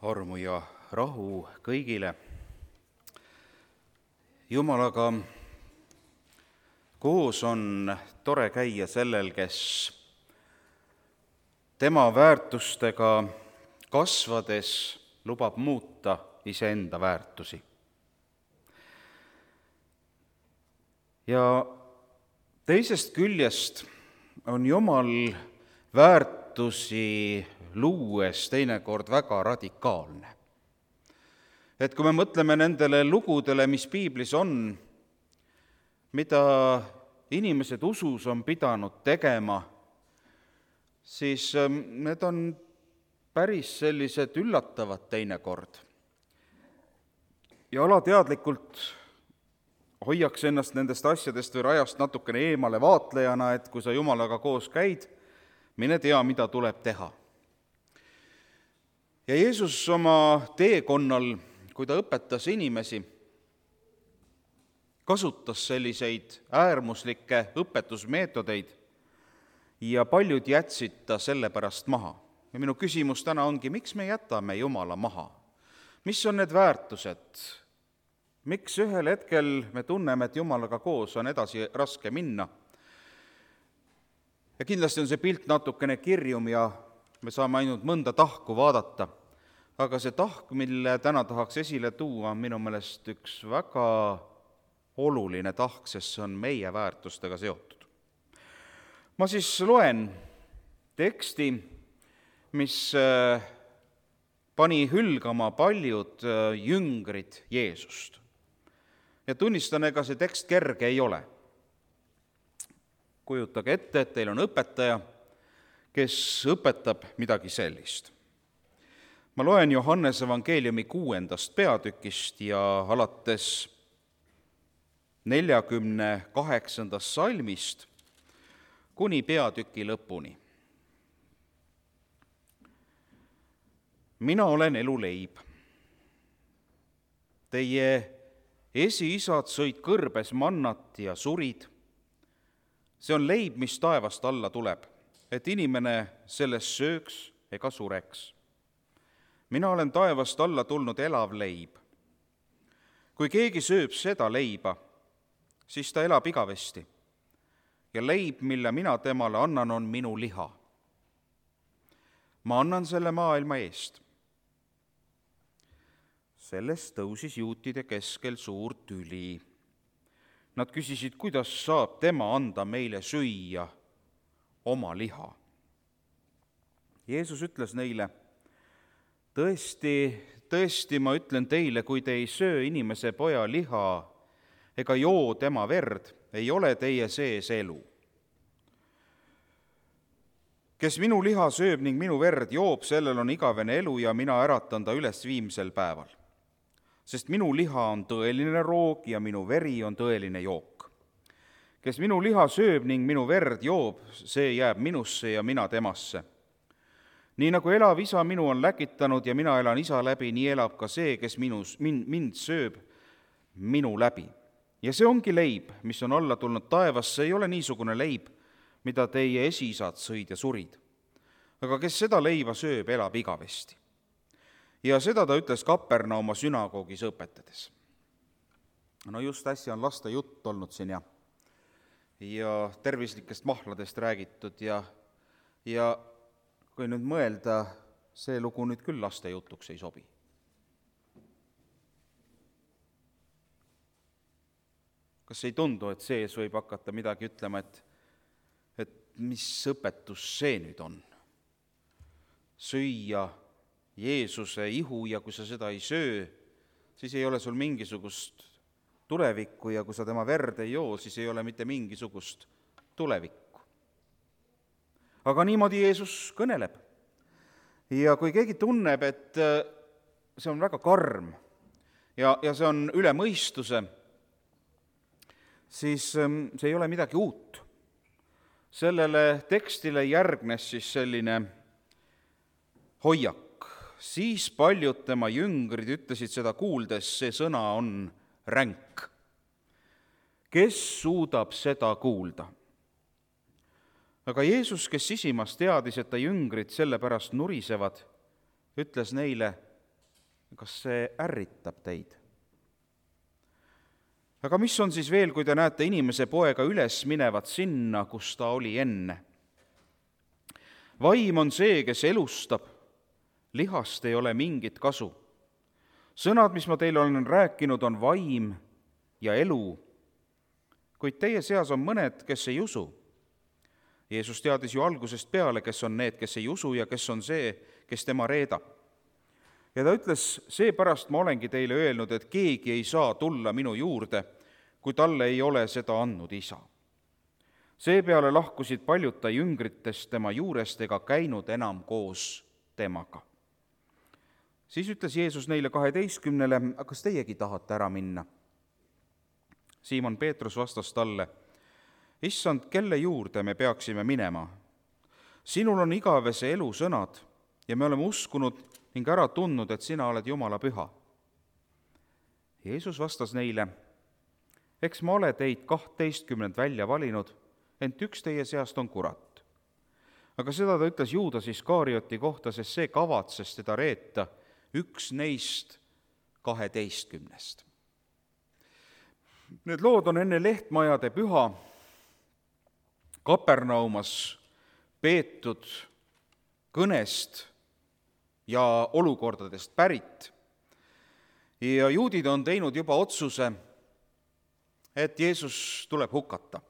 armu ja rahu kõigile. Jumalaga koos on tore käia sellel, kes tema väärtustega kasvades lubab muuta iseenda väärtusi. Ja teisest küljest on Jumal väärtusi luues teinekord väga radikaalne. Et kui me mõtleme nendele lugudele, mis piiblis on, mida inimesed usus on pidanud tegema, siis need on päris sellised üllatavad teinekord. Ja alateadlikult hoiaks ennast nendest asjadest või rajast natukene eemale vaatlejana, et kui sa Jumalaga koos käid, mine tea, mida tuleb teha. Ja Jeesus oma teekonnal, kui ta õpetas inimesi, kasutas selliseid äärmuslikke õpetusmeetodeid ja paljud jätsid ta sellepärast maha. Ja minu küsimus täna ongi, miks me jätame Jumala maha? Mis on need väärtused? Miks ühel hetkel me tunneme, et Jumalaga koos on edasi raske minna? Ja kindlasti on see pilt natukene kirjum ja me saame ainult mõnda tahku vaadata, aga see tahk, mille täna tahaks esile tuua, on minu meelest üks väga oluline tahk, sest see on meie väärtustega seotud. Ma siis loen teksti, mis pani hülgama paljud jüngrid Jeesust. Ja tunnistan, ega see tekst kerge ei ole. Kujutage ette, et teil on õpetaja, kes õpetab midagi sellist. Ma loen Johannese evangeeliumi 6. peatükist ja alates 48. salmist kuni peatüki lõpuni. Mina olen eluleib. Teie esiisad sõid kõrbes mannat ja surid. See on leib, mis taevast alla tuleb, et inimene sellest sööks ega sureks. Mina olen taevast alla tulnud elav leib. Kui keegi sööb seda leiba, siis ta elab igavesti. Ja leib, mille mina temale annan, on minu liha. Ma annan selle maailma eest. Sellest tõusis juutide keskel suur tüli. Nad küsisid, kuidas saab tema anda meile süüa oma liha. Jeesus ütles neile, tõesti, ma ütlen teile, kui te ei söö inimese poja liha ega joo tema verd, ei ole teie sees elu. Kes minu liha sööb ning minu verd joob, sellel on igavene elu ja mina äratan ta üles viimsel päeval. Sest minu liha on tõeline roog ja minu veri on tõeline jook. Kes minu liha sööb ning minu verd joob, see jääb minusse ja mina temasse. Nii nagu elav isa minu on läkitanud ja mina elan isa läbi, nii elab ka see, kes mind sööb minu läbi. Ja see ongi leib, mis on alla tulnud taevas, see ei ole niisugune leib, mida teie esiisad sõid ja surid. Aga kes seda leiba sööb, elab igavesti. Ja seda ta ütles Kapernauma sünagoogis õpetades. No just äsja on laste jutt olnud siin ja tervislikest mahladest räägitud ja kui nüüd mõelda, see lugu nüüd küll laste jutuks ei sobi. Kas ei tundu, et sees võib hakata midagi ütlema, et mis õpetus see nüüd on? Süüa Jeesuse ihu ja kui sa seda ei söö, siis ei ole sul mingisugust tulevikku ja kui sa tema verd ei joo, siis ei ole mitte mingisugust tulevikku. Aga niimoodi Jeesus kõneleb. Ja kui keegi tunneb, et see on väga karm ja see on üle mõistuse, siis see ei ole midagi uut. Sellele tekstile järgnes siis selline hoiak. Siis paljud tema jüngrid ütlesid seda kuuldes, see sõna on ränk. Kes suudab seda kuulda? Aga Jeesus, kes sisimas teadis, et ta jüngrid sellepärast nurisevad, ütles neile, kas see ärritab teid? Aga mis on siis veel, kui te näete inimese poega üles minevat sinna, kus ta oli enne? Vaim on see, kes elustab, lihast ei ole mingit kasu. Sõnad, mis ma teile olen rääkinud, on vaim ja elu, kuid teie seas on mõned, kes ei usu. Jeesus teadis ju algusest peale, kes on need, kes ei usu ja kes on see, kes tema reedab. Ja ta ütles, seepärast ma olengi teile öelnud, et keegi ei saa tulla minu juurde, kui talle ei ole seda andnud isa. Seepeale lahkusid paljud ta jüngritest tema juurest ega käinud enam koos temaga. Siis ütles Jeesus neile 12, kas teiegi tahate ära minna? Siimon Peetrus vastas talle, Issand, kelle juurde me peaksime minema? Sinul on igavese elu sõnad ja me oleme uskunud ning ära tundnud, et sina oled Jumala püha. Jeesus vastas neile, eks ma ole teid 12 välja valinud, ent üks teie seast on kurat. Aga seda ta ütles Juudas Iskarioti kohta, sest see kavatses teda reeta, üks neist 12. Need lood on enne Lehtmajade püha Kapernaumas peetud kõnest ja olukordadest pärit. Ja juudid on teinud juba otsuse, et Jeesus tuleb hukata.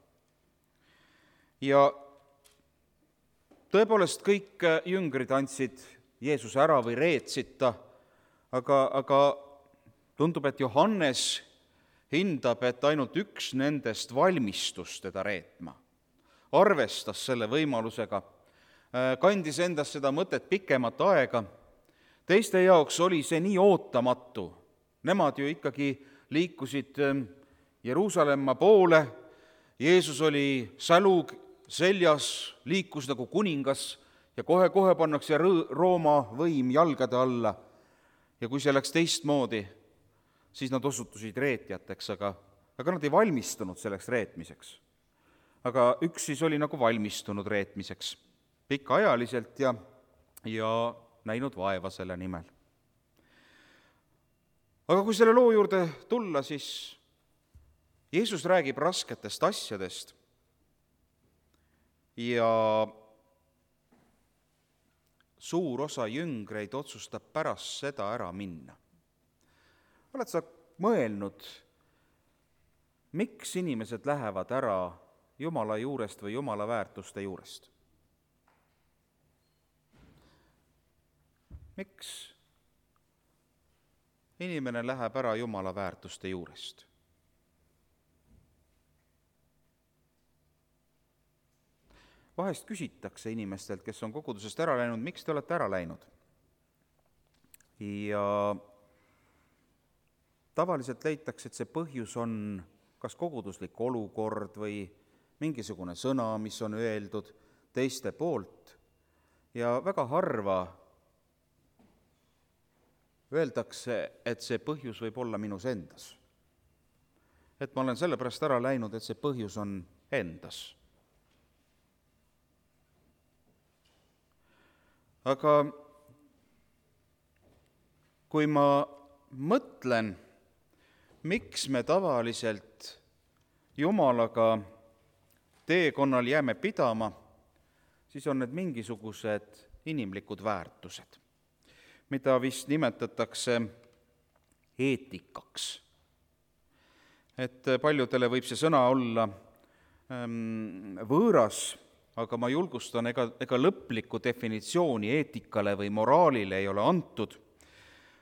Ja tõepoolest kõik jüngrid andsid Jeesuse ära või reetsid ta, aga tundub, et Johannes hindab, et ainult üks nendest valmistus teda reetma. Arvestas selle võimalusega, kandis endas seda mõtet pikemat aega. Teiste jaoks oli see nii ootamatu. Nemad ju ikkagi liikusid Jeruusalemma poole, Jeesus oli sälu seljas, liikus nagu kuningas ja kohe pannakse Rooma võim jalgade alla. Ja kui see läks teistmoodi, siis nad osutusid reetjateks, aga nad ei valmistunud selleks reetmiseks. Aga üks siis oli nagu valmistunud reetmiseks pikaajaliselt ja näinud vaeva selle nimel. Aga kui selle loo juurde tulla, siis Jeesus räägib rasketest asjadest ja suur osa jüngreid otsustab pärast seda ära minna. Oled sa mõelnud, miks inimesed lähevad ära Jumala juurest või Jumala väärtuste juurest? Miks inimene läheb ära Jumala väärtuste juurest? Vahest küsitakse inimestelt, kes on kogudusest ära läinud, miks te olete ära läinud? Ja tavaliselt leitakse, et see põhjus on kas koguduslik olukord või mingisugune sõna, mis on öeldud teiste poolt ja väga harva öeldakse, et see põhjus võib olla minus endas. Et ma olen sellepärast ära läinud, et see põhjus on endas. Aga kui ma mõtlen, miks me tavaliselt Jumalaga teekonnal jääme pidama, siis on need mingisugused inimlikud väärtused, mida vist nimetatakse eetikaks. Et paljudele võib see sõna olla võõras, aga ma julgustan, ega lõplikku definitsiooni eetikale või moraalile ei ole antud.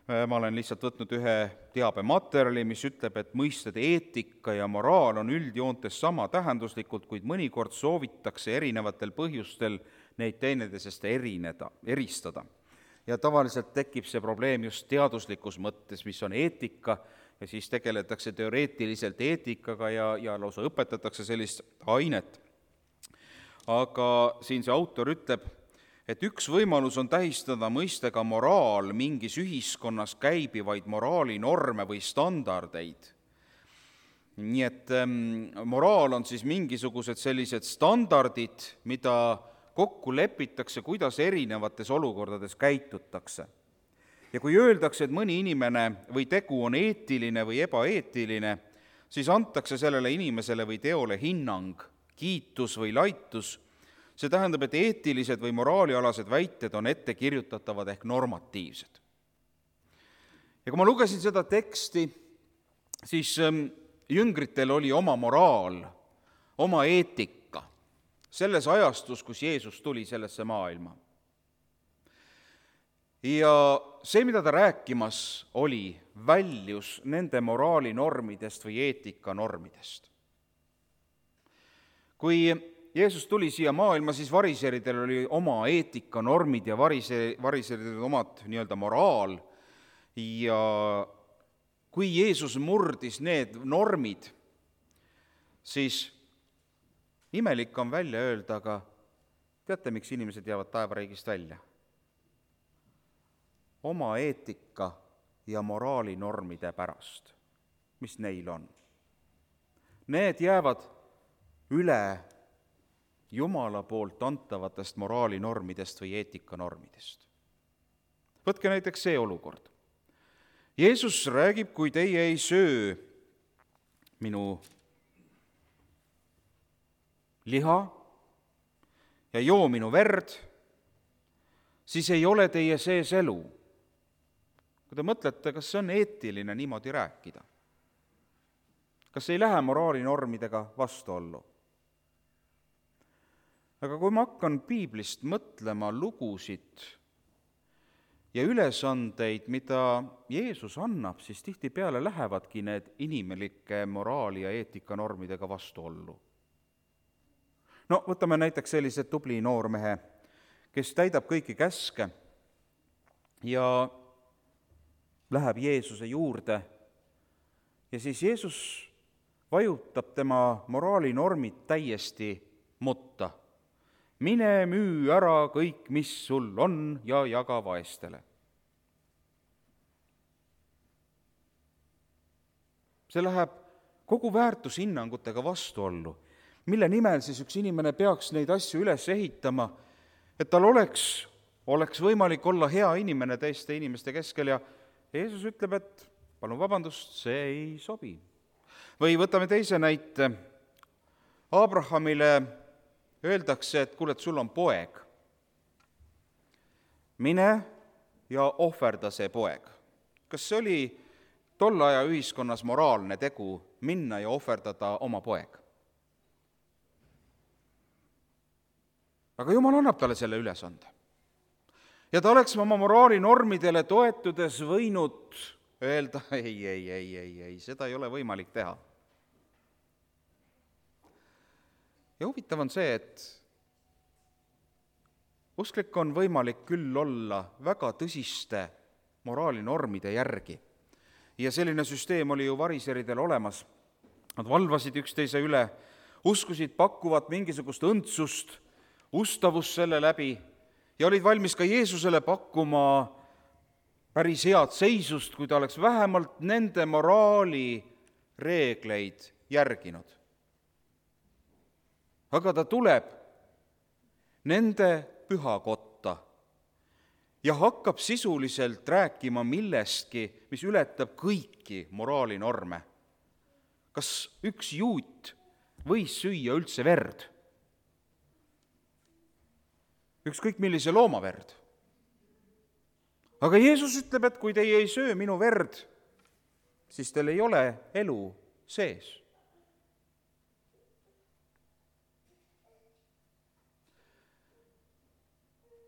Ma olen lihtsalt võtnud ühe teabematerjali, mis ütleb, et mõisted eetika ja moraal on üldjoontes sama tähenduslikult, kuid mõnikord soovitakse erinevatel põhjustel neid teineteisest eristada. Ja tavaliselt tekib see probleem just teaduslikus mõttes, mis on eetika, ja siis tegeletakse teoreetiliselt eetikaga ja lausa õpetatakse sellist ainet. Aga siin see autor ütleb, et üks võimalus on tähistada mõistega moraal mingis ühiskonnas käibivaid moraalinorme või standardeid. Nii et moraal on siis mingisugused sellised standardid, mida kokku lepitakse, kuidas erinevates olukordades käitutakse. Ja kui öeldakse, et mõni inimene või tegu on eetiline või ebaeetiline, siis antakse sellele inimesele või teole hinnang, kiitus või laitus. See tähendab, et eetilised või moraalialased väited on ettekirjutatavad ehk normatiivsed. Ja kui ma lugesin seda teksti, siis jüngritel oli oma moraal, oma eetika selles ajastus, kus Jeesus tuli sellesse maailma. Ja see, mida ta rääkimas oli, väljus nende moraalinormidest või eetikanormidest. Kui Jeesus tuli siia maailma, siis variseridel oli oma eetikanormid ja variseridel omad nii-öelda moraal. Ja kui Jeesus murdis need normid, siis imelik on välja öelda, aga teate, miks inimesed jäävad taevariigist välja? Oma eetika ja moraalinormide pärast, mis neil on. Need jäävad üle Jumala poolt antavatest moraalinormidest või eetikanormidest. Võtke näiteks see olukord. Jeesus räägib, kui teie ei söö minu liha ja joo minu verd, siis ei ole teie sees elu. Kui te mõtlete, kas see on eetiline niimoodi rääkida? Kas ei lähe moraalinormidega vastuollu? Aga kui ma hakkan piiblist mõtlema lugusid ja ülesandeid, mida Jeesus annab, siis tihtipeale lähevadki need inimelike moraali- ja eetikanormidega vastuollu. No võtame näiteks sellise tubli noormehe, kes täidab kõiki käske ja läheb Jeesuse juurde ja siis Jeesus vajutab tema moraalinormid täiesti mutta. Mine müü ära kõik, mis sul on, ja jaga vaestele. See läheb kogu väärtushinnangutega vastuollu, mille nimel siis üks inimene peaks neid asju üles ehitama, et tal oleks võimalik olla hea inimene teiste inimeste keskel ja Jeesus ütleb, et palun vabandust, see ei sobi. Või võtame teise näite. Abrahamile öeldakse, et kuule, et sul on poeg. Mine ja ohverda see poeg. Kas see oli tolle aja ühiskonnas moraalne tegu minna ja ohverdada oma poeg? Aga Jumal annab talle selle ülesande. Ja ta oleks oma moraalinormidele toetudes võinud öelda, ei, seda ei ole võimalik teha. Ja huvitav on see, et usklik on võimalik küll olla väga tõsiste moraalinormide järgi. Ja selline süsteem oli ju variseridel olemas. Nad valvasid üksteise üle, uskusid pakkuvat mingisugust õndsust, ustavust selle läbi ja olid valmis ka Jeesusele pakkuma päris head seisust, kui ta oleks vähemalt nende moraali reegleid järginud. Aga ta tuleb nende pühakotta ja hakkab sisuliselt rääkima millestki, mis ületab kõiki moraalinorme. Kas üks juut võis süüa üldse verd? Ükskõik millise looma verd. Aga Jeesus ütleb, et kui teie ei söö minu verd, siis teil ei ole elu sees.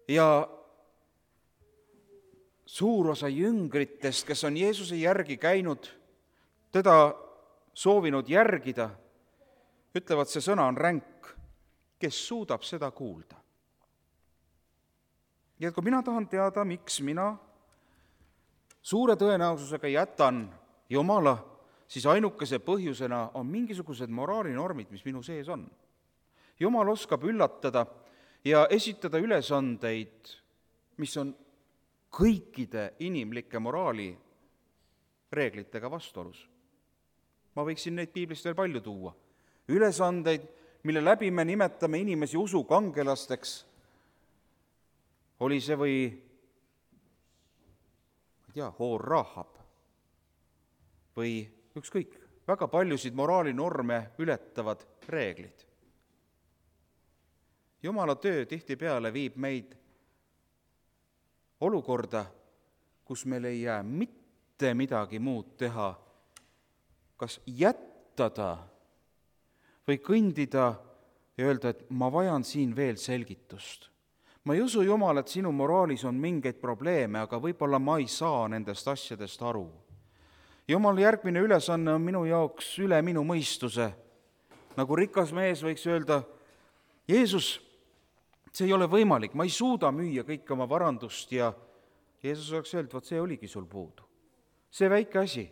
Ja suur osa jüngritest, kes on Jeesuse järgi käinud, teda soovinud järgida, ütlevad, see sõna on ränk, kes suudab seda kuulda. Ja kui mina tahan teada, miks mina suure tõenäosusega jätan Jumala, siis ainukese põhjusena on mingisugused moraalinormid, mis minu sees on. Jumal oskab üllatada ja esitada ülesandeid, mis on kõikide inimlike moraali reeglitega vastuolus. Ma võiksin neid piiblist veel palju tuua. Ülesandeid, mille läbi me nimetame inimesi usukangelasteks, oli see või Hoor Rahab või ükskõik, väga paljusid moraalinorme ületavad reeglid. Jumala töö tihtipeale viib meid olukorda, kus meil ei jää mitte midagi muud teha, kas jättada või kõndida ja öelda, et ma vajan siin veel selgitust. Ma ei usu, Jumal, et sinu moraalis on mingeid probleeme, aga võib-olla ma ei saa nendest asjadest aru. Jumal, järgmine ülesanne on minu jaoks üle minu mõistuse. Nagu rikas mees võiks öelda, Jeesus, see ei ole võimalik, ma ei suuda müüa kõike oma varandust ja Jeesus oleks öelnud, vot see oligi sul puudu. See väike asi,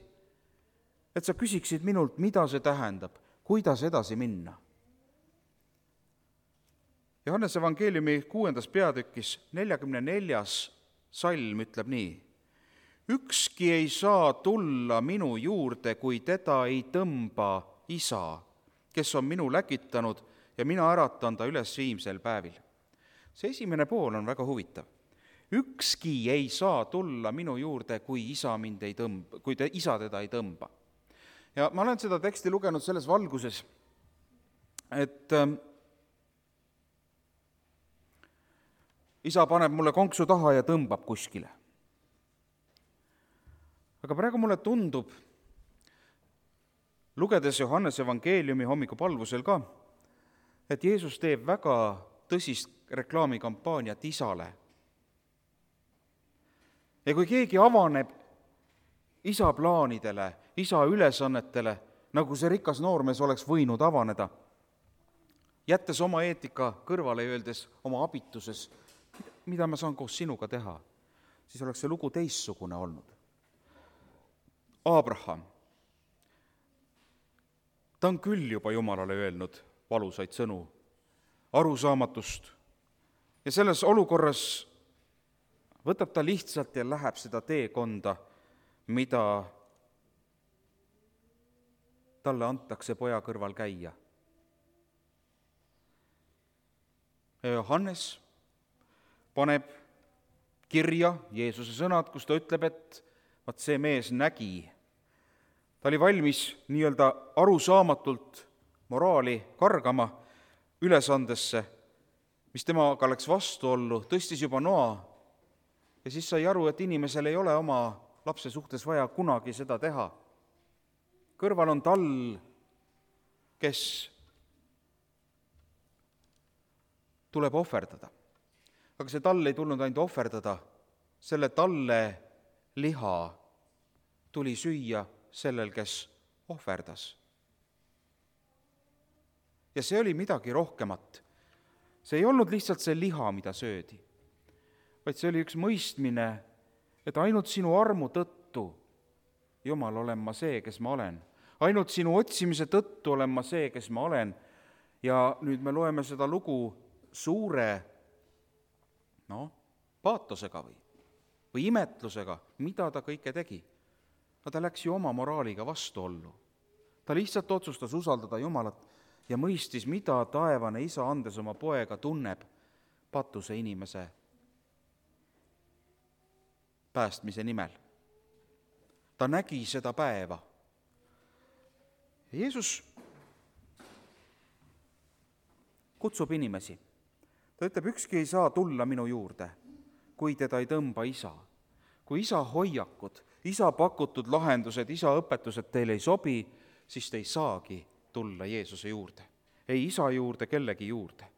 et sa küsiksid minult, mida see tähendab, kuidas edasi minna. Johannese evangeeliumi 6. peatükis 44. salm ütleb nii: ükski ei saa tulla minu juurde, kui teda ei tõmba Isa, kes on minu läkitanud ja mina äratan ta üles viimsel päevil. See esimene pool on väga huvitav. Ükski ei saa tulla minu juurde, kui Isa mind ei tõmba, kui Isa teda ei tõmba. Ja ma olen seda teksti lugenud selles valguses, et Isa paneb mulle konksu taha ja tõmbab kuskile. Aga praegu mulle tundub, lugedes Johannese evangeeliumi hommikupalvusel ka, et Jeesus teeb väga tõsist reklaamikampaaniat Isale. Ja kui keegi avaneb Isa plaanidele, Isa ülesannetele, nagu see rikas noormees oleks võinud avaneda, jättes oma eetika kõrvale ja öeldes oma abituses, mida ma saan koos sinuga teha, siis oleks see lugu teissugune olnud. Abraham, ta on küll juba Jumalale öelnud valusaid sõnu, arusaamatust, ja selles olukorras võtab ta lihtsalt ja läheb seda teekonda, mida talle antakse poja kõrval käia. Ja Johannes paneb kirja Jeesuse sõnad, kus ta ütleb, et vaat see mees nägi. Ta oli valmis nii-öelda arusaamatult moraali kargama ülesandesse, mis temaga läks vastuollu, tõstis juba noa ja siis sai aru, et inimesel ei ole oma lapse suhtes vaja kunagi seda teha. Kõrval on tall, kes tuleb ohverdada. Aga see tall ei tulnud ainult ohverdada, selle talle liha tuli süüa sellel, kes ohverdas. Ja see oli midagi rohkemat. See ei olnud lihtsalt see liha, mida söödi, vaid see oli üks mõistmine, et ainult sinu armu tõttu, Jumal, olen ma see, kes ma olen. Ainult sinu otsimise tõttu olen ma see, kes ma olen. Ja nüüd me loeme seda lugu suure paatosega või imetlusega, mida ta kõike tegi. No ta läks ju oma moraaliga vastuollu. Ta lihtsalt otsustas usaldada Jumalat ja mõistis, mida taevane Isa andes oma poega tunneb patuse inimese päästmise nimel. Ta nägi seda päeva. Jeesus kutsub inimesi. Ta ütleb, ükski ei saa tulla minu juurde, kui teda ei tõmba Isa. Kui Isa hoiakud, Isa pakutud lahendused, Isa õpetused teile ei sobi, siis te ei saagi tulla Jeesuse juurde. Ei Isa juurde, kellegi juurde.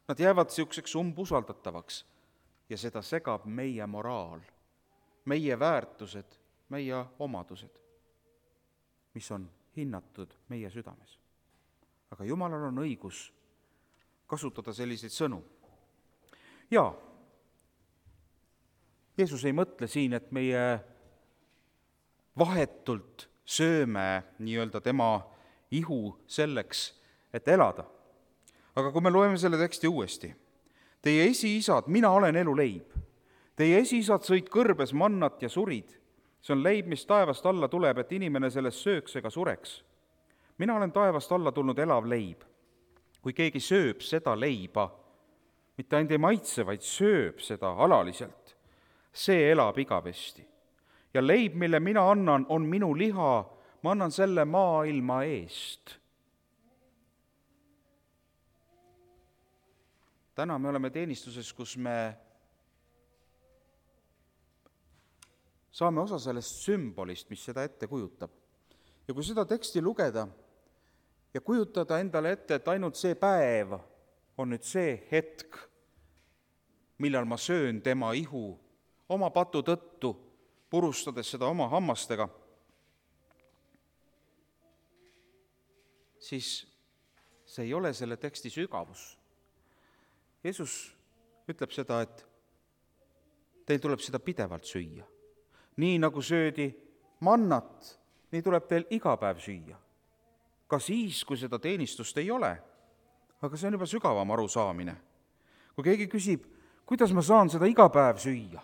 Nad jäävad siukseks umbusaldatavaks ja seda segab meie moraal, meie väärtused, meie omadused, mis on hinnatud meie südames. Aga Jumalal on õigus kasutada selliseid sõnu. Ja Jeesus ei mõtle siin, et meie vahetult sööme nii-öelda tema ihu selleks, et elada. Aga kui me loeme selle teksti uuesti, teie esiisad, mina olen eluleib. Teie esiisad sõid kõrbes mannat ja surid. See on leib, mis taevast alla tuleb, et inimene sellest sööks ega sureks. Mina olen taevast alla tulnud elav leib. Kui keegi sööb seda leiba, mitte ainult ei maitse, vaid sööb seda alaliselt, see elab igavesti. Ja leib, mille mina annan, on minu liha, ma annan selle maailma eest. Täna me oleme teenistuses, kus me saame osa sellest sümbolist, mis seda ette kujutab. Ja kui seda teksti lugeda ja kujutada endale ette, et ainult see päev on nüüd see hetk, millal ma söön tema ihu oma patu tõttu, purustades seda oma hammastega, siis see ei ole selle teksti sügavus. Jeesus ütleb seda, et teil tuleb seda pidevalt süüa. Nii nagu söödi mannat, nii tuleb teil iga päev süüa. Ka siis, kui seda teenistust ei ole. Aga see on juba sügavam arusaamine. Kui keegi küsib, kuidas ma saan seda iga päev süüa?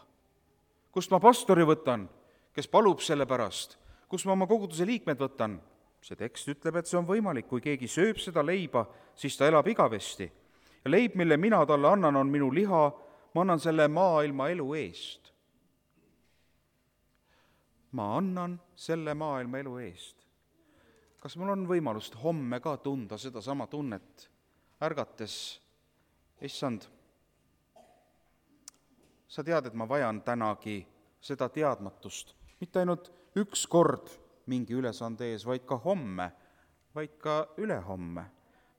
Kust ma pastori võtan, kes palub selle pärast? Kust ma oma koguduse liikmed võtan? See tekst ütleb, et see on võimalik. Kui keegi sööb seda leiba, siis ta elab igavesti. Ja leib, mille mina talle annan, on minu liha, ma annan selle maailma elu eest. Ma annan selle maailma elu eest. Kas mul on võimalust homme ka tunda seda sama tunnet, ärgates, issand, sa tead, et ma vajan tänagi seda teadmatust, mitte ainult üks kord mingi ülesande ees, vaid ka homme, vaid ka ülehomme,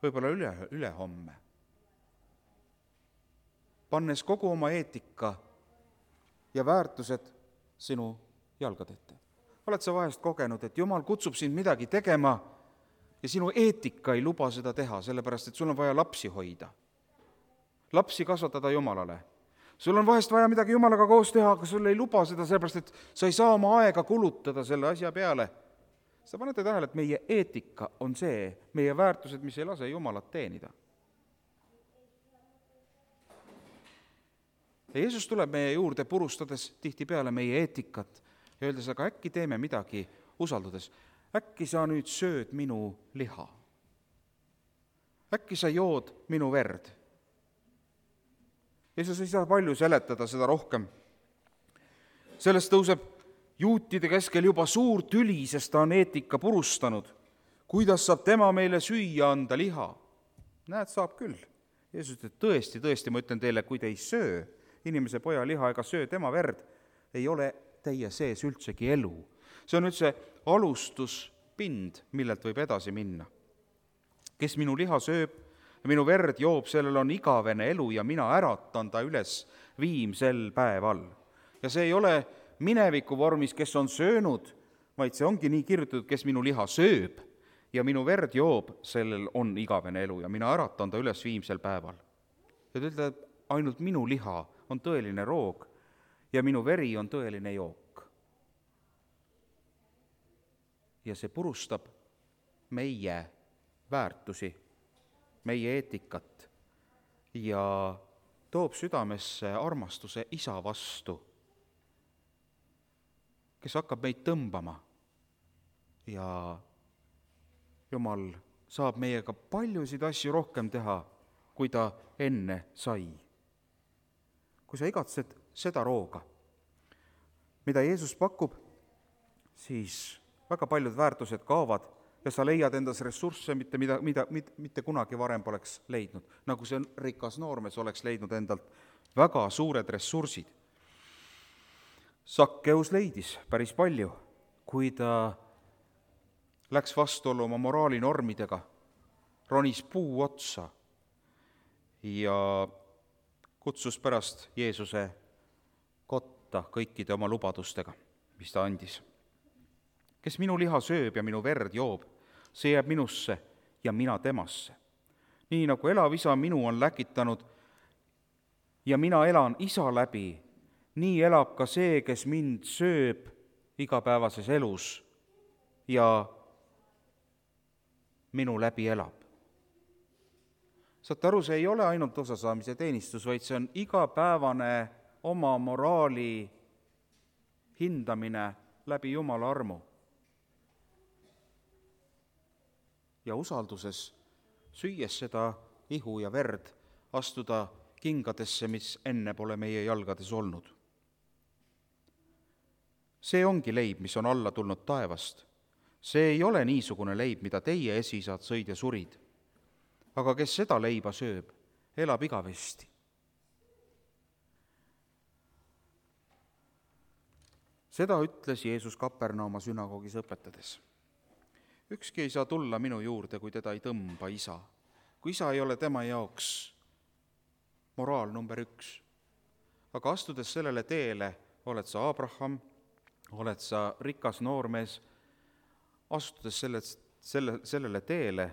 võib-olla ülehomme. Pannes kogu oma eetika ja väärtused sinu jalgade ette. Oled sa vahest kogenud, et Jumal kutsub sind midagi tegema ja sinu eetika ei luba seda teha, sellepärast et sul on vaja lapsi hoida. Lapsi kasvatada Jumalale. Sul on vahest vaja midagi Jumalaga koos teha, aga sul ei luba seda, sellepärast et sa ei saa oma aega kulutada selle asja peale. Sa panete tähele, et meie eetika on see, meie väärtused, mis ei lase Jumalat teenida. Ja Jeesus tuleb meie juurde purustades tihtipeale meie eetikat ja öeldes, aga äkki teeme midagi usaldades. Äkki sa nüüd sööd minu liha? Äkki sa jood minu verd? Jeesus ei saa palju seletada seda rohkem. Sellest tõuseb juutide keskel juba suur tüli, sest ta on eetika purustanud. Kuidas saab tema meile süüa anda liha? Näed, saab küll. Jeesus ütleb, tõesti, ma ütlen teile, kui te ei söö inimese poja liha ega söö tema verd, ei ole teie sees üldsegi elu. See on üldse alustuspind, millelt võib edasi minna. Kes minu liha sööb ja minu verd joob, sellel on igavene elu ja mina äratan ta üles viimsel päeval. Ja see ei ole mineviku vormis, kes on söönud, vaid see ongi nii kirjutatud, kes minu liha sööb ja minu verd joob, sellel on igavene elu ja mina äratan ta üles viimsel päeval. Ja ta ütleb, ainult minu liha on tõeline roog ja minu veri on tõeline jook. Ja see purustab meie väärtusi, meie eetikat ja toob südamesse armastuse isa vastu, kes hakkab meid tõmbama ja Jumal saab meiega paljusid asju rohkem teha, kui ta enne sai. Kui sa igatsed seda rooga, mida Jeesus pakub, siis väga paljud väärtused kaovad ja sa leiad endas ressursse, mitte kunagi varem poleks leidnud. Nagu see rikas noormees oleks leidnud endalt väga suured ressursid. Sakkeus leidis päris palju, kui ta läks vastuollu oma moraalinormidega, ronis puu otsa ja kutsus pärast Jeesuse kotta kõikide oma lubadustega, mis ta andis. Kes minu liha sööb ja minu verd joob, see jääb minusse ja mina temasse. Nii nagu elav isa minu on läkitanud ja mina elan isa läbi, nii elab ka see, kes mind sööb igapäevases elus ja minu läbi elab. Saate aru, see ei ole ainult osasaamise teenistus, vaid see on igapäevane oma moraali hindamine läbi Jumala armu. Ja usalduses, süües seda ihu ja verd, astuda kingadesse, mis enne pole meie jalgades olnud. see ongi leib, mis on alla tulnud taevast. See ei ole niisugune leib, mida teie esiisad sõid ja surid. Aga kes seda leiba sööb, elab igavesti. Seda ütles Jeesus Kapernauma sünagoogis õpetades. Ükski ei saa tulla minu juurde, kui teda ei tõmba isa. Kui isa ei ole tema jaoks moraal number 1. Aga astudes sellele teele, oled sa Abraham, oled sa rikas noormees, astudes sellele teele,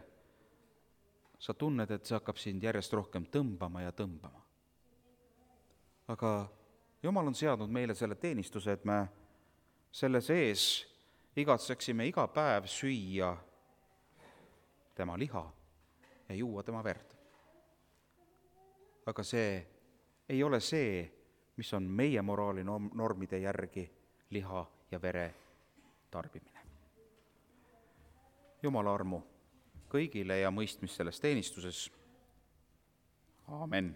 sa tunned, et see hakkab sind järjest rohkem tõmbama ja tõmbama. Aga Jumal on seadnud meile selle teenistuse, et me selle sees igatseksime iga päev süüa tema liha ja juua tema verd. Aga see ei ole see, mis on meie moraali normide järgi liha ja vere tarbimine. Jumala armu kõigile ja mõistmist selles teenistuses. Aamen.